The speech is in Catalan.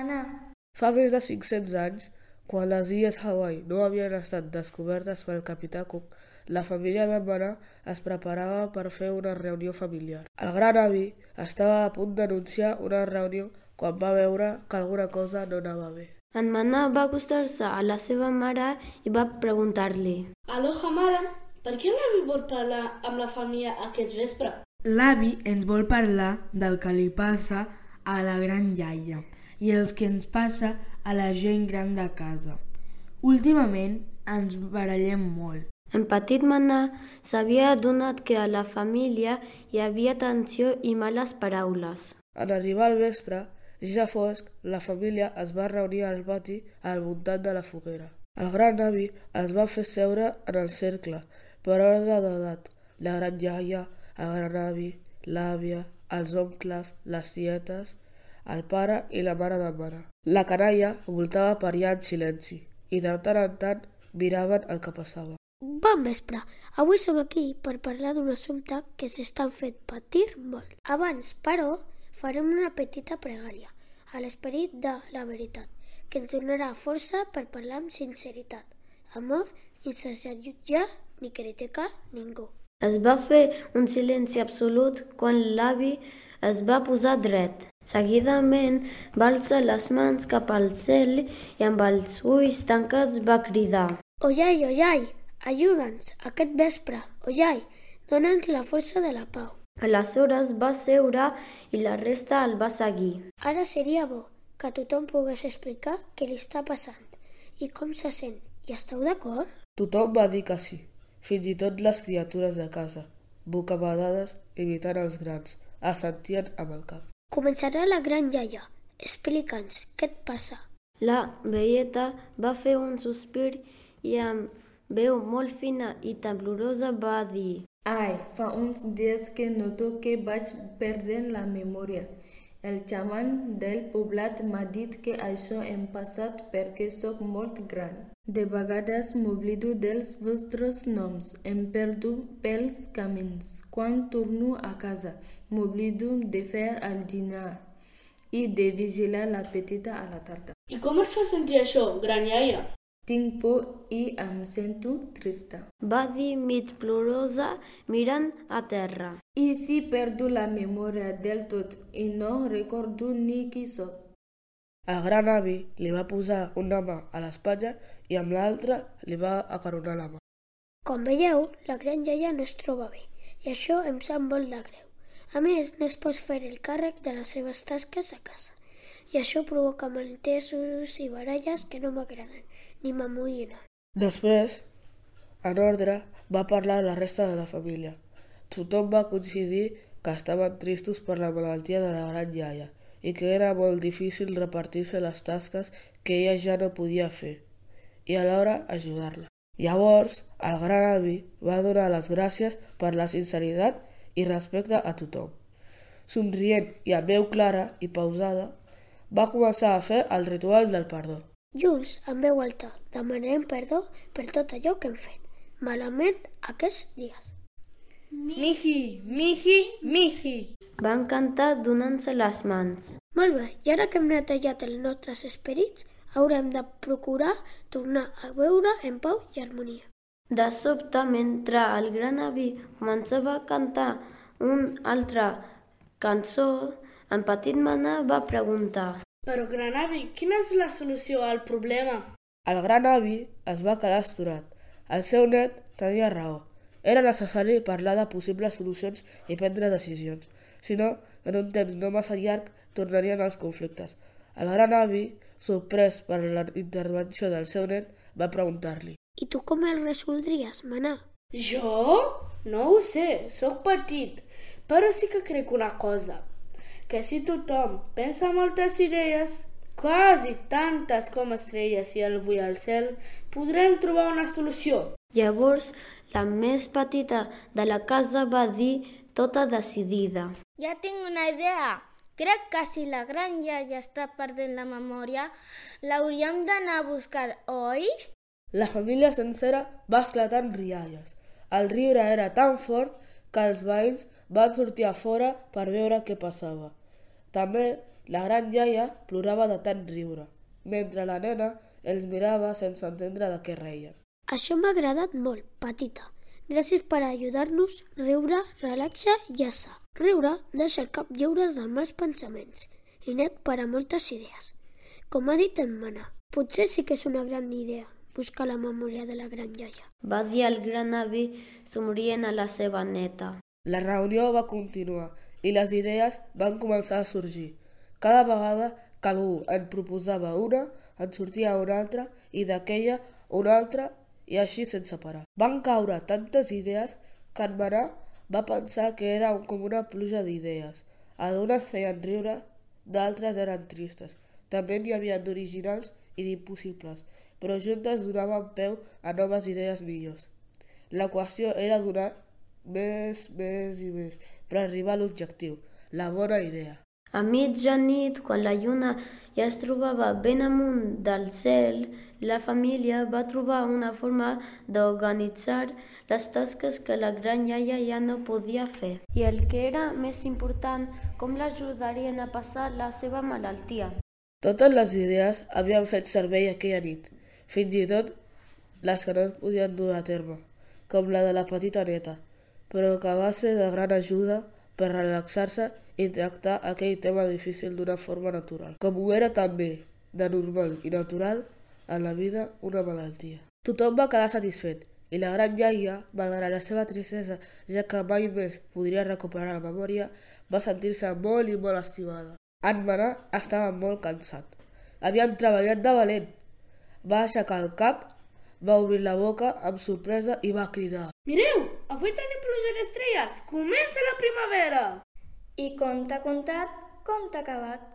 Manà? Fa més de 500 anys, quan les illes Hawaii no havien estat descobertes pel capità Cook, la família de Manà es preparava per fer una reunió familiar. El gran avi estava a punt d'anunciar una reunió quan va veure que alguna cosa no anava bé. En Manà va acostar-se a la seva mare i va preguntar-li: Aloha, mare, per què l'avi vol parlar amb la família aquest vespre? L'avi ens vol parlar del que li passa a la gran iaia i els que ens passa a la gent gran de casa. Últimament ens barallem molt. En petit Manà s'havia adonat que a la família hi havia tensió i males paraules. En arribar al vespre, ja fosc, la família es va reunir al pati al voltant de la foguera. El gran avi es va fer seure en el cercle, per ordre d'edat. La gran iaia, el gran avi, l'àvia, els oncles, les tietes, el pare i la mare de mare. La canalla voltava per allà en silenci i de tant en tant miraven el que passava. Bon vespre. Avui som aquí per parlar d'un assumpte que s'està fent patir molt. Abans, però, farem una petita pregària a l'esperit de la veritat, que ens donarà força per parlar amb sinceritat, amor i sense jutjar ni criticar ningú. Es va fer un silenci absolut quan l'avi es va posar dret. Seguidament va alçar les mans cap al cel i amb els ulls tancats va cridar: Oiai, oiai, ajuda'ns aquest vespre, oiai, dona'ns la força de la pau. Aleshores va seure i la resta el va seguir. Ara seria bo que tothom pogués explicar què li està passant i com se sent. I esteu d'acord? Tothom va dir que sí, fins i tot les criatures de casa, bocabadades imitant els grans, assentien amb el cap. Començarà la gran iaia. Explica'ns, què et passa? La veieta va fer un sospir i amb veu molt fina i temblorosa va dir: Ai, fa uns dies que noto que vaig perdent la memòria. El xaman del poblat m'ha dit que això em passat perquè sóc molt gran. De vegades m'oblido dels vostres noms, em perdo pels camins. Quan torno a casa, m'oblido de fer el dinar i de vigilar la petita a la tarda. I com et fa sentir això, gran iaia? Tinc por i em sento trista. Va dir mig plorosa mirant a terra. I si perdo la memòria del tot i no recordo ni qui sóc? El gran avi li va posar una mà a l'espatlla i amb l'altra li va acaronar la mà. Com veieu, la gran iaia no es troba bé i això em sap molt de greu. A més, no es pot fer el càrrec de les seves tasques a casa i això provoca malentesos i baralles que no m'agraden ni m'amoïnen. Després, en ordre, va parlar la resta de la família. Tothom va coincidir que estaven tristos per la malaltia de la gran iaia i que era molt difícil repartir-se les tasques que ella ja no podia fer i alhora ajudar-la. Llavors, el gran avi va donar les gràcies per la sinceritat i respecte a tothom. Somrient i amb veu clara i pausada, va començar a fer el ritual del perdó. Junts, amb veu alta, demanarem perdó per tot allò que hem fet malament aquests dies. Miji, miji, miji. Van cantar donant-se les mans. Molt bé, i ara que hem netejat els nostres esperits, haurem de procurar tornar a veure en pau i harmonia. De sobte, mentre el gran avi començava a cantar una altra cançó, en petit Manà va preguntar: Però, gran avi, quina és la solució al problema? El gran avi es va quedar astorat. El seu net tenia raó. Era necessari parlar de possibles solucions i prendre decisions. Si no, en un temps no massa llarg, tornarien els conflictes. El gran avi, sorprès per la intervenció del seu net, va preguntar-li: I tu com el resoldries, Manà? Jo? No ho sé, sóc petit, però sí que crec una cosa, que si tothom pensa moltes idees, quasi tantes com estrelles i el vull al cel, podrem trobar una solució. Llavors, la més petita de la casa va dir tota decidida: Ja tinc una idea. Crec que si la gran iaia està perdent la memòria, l'hauríem d'anar a buscar, oi? La família sencera va esclatar en rialles. El riure era tan fort que els veïns van sortir a fora per veure què passava. També La gran iaia plorava de tant riure, mentre la nena els mirava sense entendre de què reien. Això m'ha agradat molt, petita. Gràcies per ajudar-nos. Riure, relaxa i assa. Riure deixa el cap lliure dels mals pensaments i net per a moltes idees. Com ha dit en Mana, potser sí que és una gran idea buscar la memòria de la gran iaia. Va dir el gran avi somrient a la seva neta. La reunió va continuar i les idees van començar a sorgir. Cada vegada que algú en proposava una, en sortia una altra i d'aquella una altra i així sense parar. Van caure tantes idees que en Manà va pensar que era com una pluja d'idees. Algunes feien riure, d'altres eren tristes. També n'hi havia d'originals i d'impossibles, però juntes donaven peu a noves idees millors. La qüestió era donar més i més per arribar a l'objectiu, la bona idea. A mitjanit, quan la lluna ja es trobava ben amunt del cel, la família va trobar una forma d'organitzar les tasques que la gran iaia ja no podia fer. I el que era més important, com l'ajudarien a passar la seva malaltia. Totes les idees havien fet servei aquella nit, fins i tot les que no podien dur a terme, com la de la petita neta, però que va ser de gran ajuda per relaxar-se i tractar aquell tema difícil d'una forma natural, com ho era també, de normal i natural, en la vida una malaltia. Tothom va quedar satisfet i la gran iaia, malgrat la seva tristesa, ja que mai més podria recuperar la memòria, va sentir-se molt i molt estimada. En Manà estava molt cansat. Havien treballat de valent. Va aixecar el cap, va obrir la boca amb sorpresa i va cridar: Mireu, avui tenim pluja d'estrelles! Comença la primavera! I conte contat, conte acabat.